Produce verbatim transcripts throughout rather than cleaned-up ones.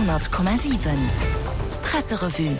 honnert Komma siwen Presserevue.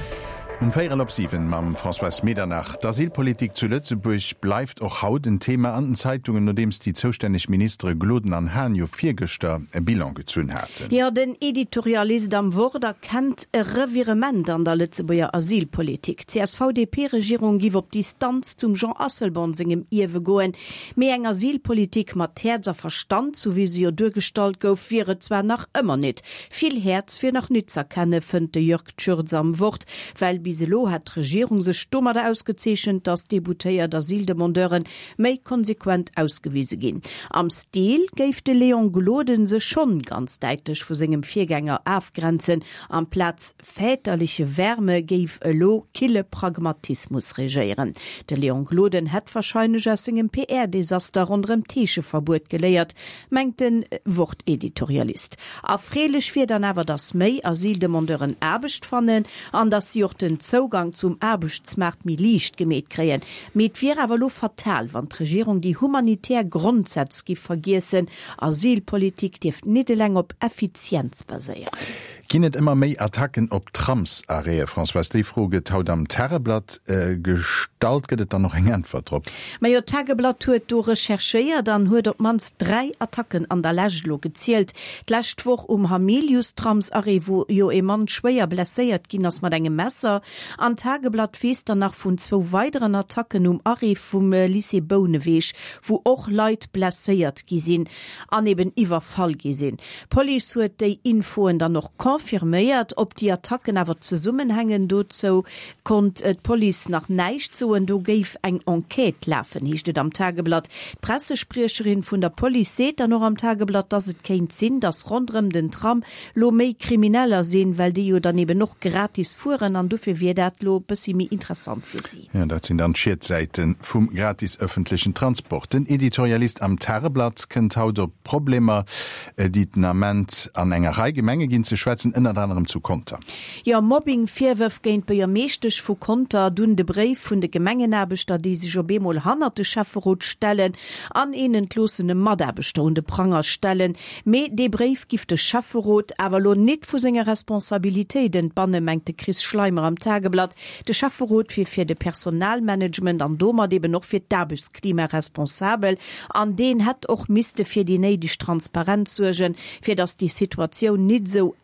Um véierel op siwen mam Françoise Medernach. D'Asylpolitik zu Lëtzebuerg bleift och haut en Thema an den Zeitungen, nodeems déi zoustänneg Ministere Gloden an Hahn jo virgëschter e Bilan gezunn haten. Jo, den Editorialist am Wort erkennt e Revirement an der Lëtzebuerger Asylpolitik. D'CSV-DP-Regierung giff op Distanz zum Jean Asselborn sengem Ierwe goen, mee eng Asylpolitik mat Häerz a Verstand, sou wéi se jo duergestallt gouf, wier et zwar nach ëmmer nit. Vill Häerz wier nach nit z'erkenne, fënnt de Jörg Tschürtz am Wort, well bis elo hätt d'Regierung sech domadder ausgezeechent, datt deboutéiert Asyldemandeuren méi konsequent ausgewise ginn. Am Stil géif de Léon Gloden sech schonn ganz däitlech vu sengem Virgänger afgrenzen, amplaz väterliche Wärme géif elo kille Pragmatismus regéieren. De Léon Gloden hätt warscheinlech aus sengem P R-Desaster ronderëm d'Heescheverbuet geléiert, mengt de Wort-Editorialist. Erfreelech wier dann awer, datt méi Asyldemandeuren Aarbecht fannen an datt si och den Zougang zum Aarbechtsmaart méi liicht gemeet kréien. Mee et wier awer elo fatal, wann d'Regierung déi humanitär Grondsätz giff vergiessen. Asylpolitik dierft nit eleng op Effizienz baséieren. Ginn et ëmmer méi Attacken op Tramsarrêtë, Françoise? Déi Fro gëtt haut am Tageblatt gestallt. Gëtt et dann och eng Äntwert drop? Majo, d'Tageblatt huet do recherchéiert an huet op d'mannst dräi Attacken an der Lescht elo gezielt. D'lescht Woch um Hamilius-Tramsarrêt, wou jo ee Mann schwéier blesséiert ginn ass mat engem Messer. An d'Tageblatt weess dann nach vun zwou weideren Attacken um Arrêt vum Lycée Bouneweg, wou och Leit blesséiert gi sinn an eben iwwerfall gi sinn. D'Police huet déi Infoen dann och confirméiert. Ob déi Attacken awer zesummenhängen, dozou konnt d'Police nach näischt soen. Do géif eng Enquête lafen, heescht et am Tageblatt. D'Pressespriecherin vun der Police seet dann och am Tageblatt, dass et kéint sinn, dass ronderëm den Tram lo méi Krimineller sinn, well déi jo dann eben och gratis fueren an dofir wier dat lo bëssi méi interessant fir si. Jo, dat sinn dann d'Schietsäite vum gratis ëffentlechen Transport. Den Editorialist am Tageblatt kënnt haut op d'Problemer, déi den Ament an enger Rei Gemenge ginn, ze schwätzen, ënnert anerem zu Conter. Jo, Mobbing-Virwërf géint d'Buergermeeschtesch vu Conter, dunn de Bréif vun de Gemengenaarbechter, déi sech op eemol hannert de Schäfferot stellen an een entloossene Mataarbechter un de Pranger stellen. Mee dee Bréif giff de Schäfferot awer elo nit vu senger Responsabilitéit entbannen, mengt de Chris Schleimer am Tageblatt. De Schäfferot wier fir de Personalmanagement an domat eben och fir d'Aarbechtsklima responsabel an deen hätt och misste fir déi néideg Transparenz suergen, fir datt déi Situatioun nit esou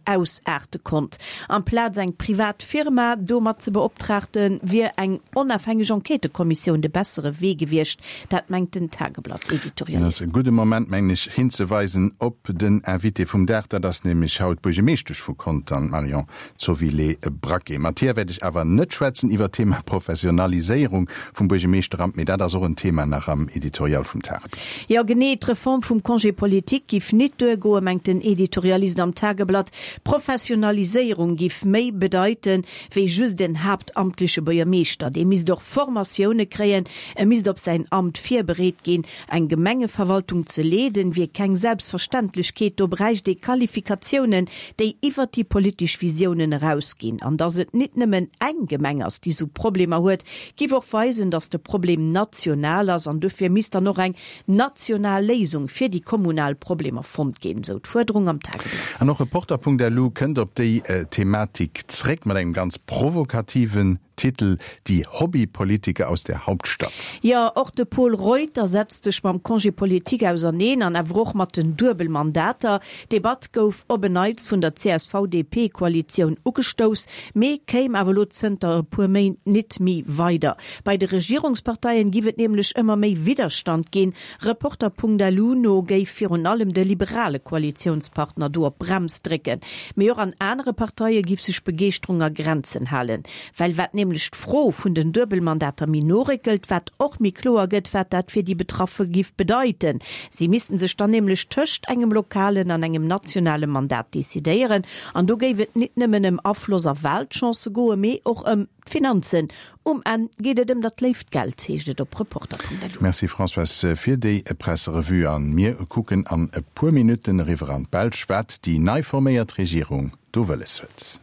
ausaarte konnt. Amplaz eng privat Firma domat ze beoptraagten, wier eng onafhängeg Enquêtëkommissioun de bessere Wee gewiescht. Dat mengt den Tageblatt-Editorialist. Dat ass e gudde Moment, mengen ech, hinzeweisen op den Invité vum Dag. Dat ass nämlech haut d'Buergermeeschtesch vu Contern, d'Marion Zovilé-Braquet. Mat hir wäert ech awer net schwätzen iwwer d'Thema Professionaliséierung vum Buergermeeschteramt, mee dat ass och en Thema nach am Editorial vum Tageblatt. Jo genee, d'Reform vum Congé politique giff nit duergoen, mengt den Editorialist am Tageblatt. Professionaliséierung giff méi bedeiten, wéi just en haaptamtleche Buergermeeschter. Dee misst och Formatioune kréien, e misst op säin Amt virbereet ginn. Eng Gemengeverwaltung ze leeden, wier keng Selbstverständlechkeet, do bräicht ee Qualifikatiounen, déi iwwert déi politesch Visiounen erausginn. An datt et nit nëmmen eng Gemeng ass, déi sou Problemer huet, giff och weisen, datt de Problem national ass an dofir misst dann och eng national Léisung fir déi kommunal Problemer fonnt ginn, sou d'Fuerderung am Tageblatt. An och Reporter.lu kënnt op déi Thematik zréck mat engem ganz provokativen Titel, Die Hobbypolitiker aus der Hauptstadt. Jo, och de Pol Reuter setzt sech mam Congé politique auserneen an awer och mat den Duebelmandater. D'Debatt gouf op en Neits vun der C S V D P-Koalitioun ugestouss, mee kéim awer elo zënter e puer Méint nit méi weider. Bei de Regierungsparteien giff et nämlech ëmmer méi Widderstand ginn. Reporter.lu no géif virun allem de liberale Koalitiounspartner do op d'Brems drécken. Mee och an anere Parteie giff sech d'Begeeschterung a Grenzen halen. Well wat nämlech d'Fro vun den Duebelmandater méi no réckelt, wat och méi kloer gëtt, wat dat fir déi Betraffe giff bedeiten. Si missten sech dann nämlech tëscht engem lokalen an engem nationale Mandat decidéieren. An do géif et nit nëmmen ëm Afloss a Walchancë goen, mee och ëm d'Finanzen. Um Enn geet et ëm dat léift Geld, heescht et op Reporter.lu. Merci Françoise fir déi Presserevue an mir kucken an e puer Minutten eriwwer an d'Belsch, wat déi nei forméiert Regierung do wëlles huet.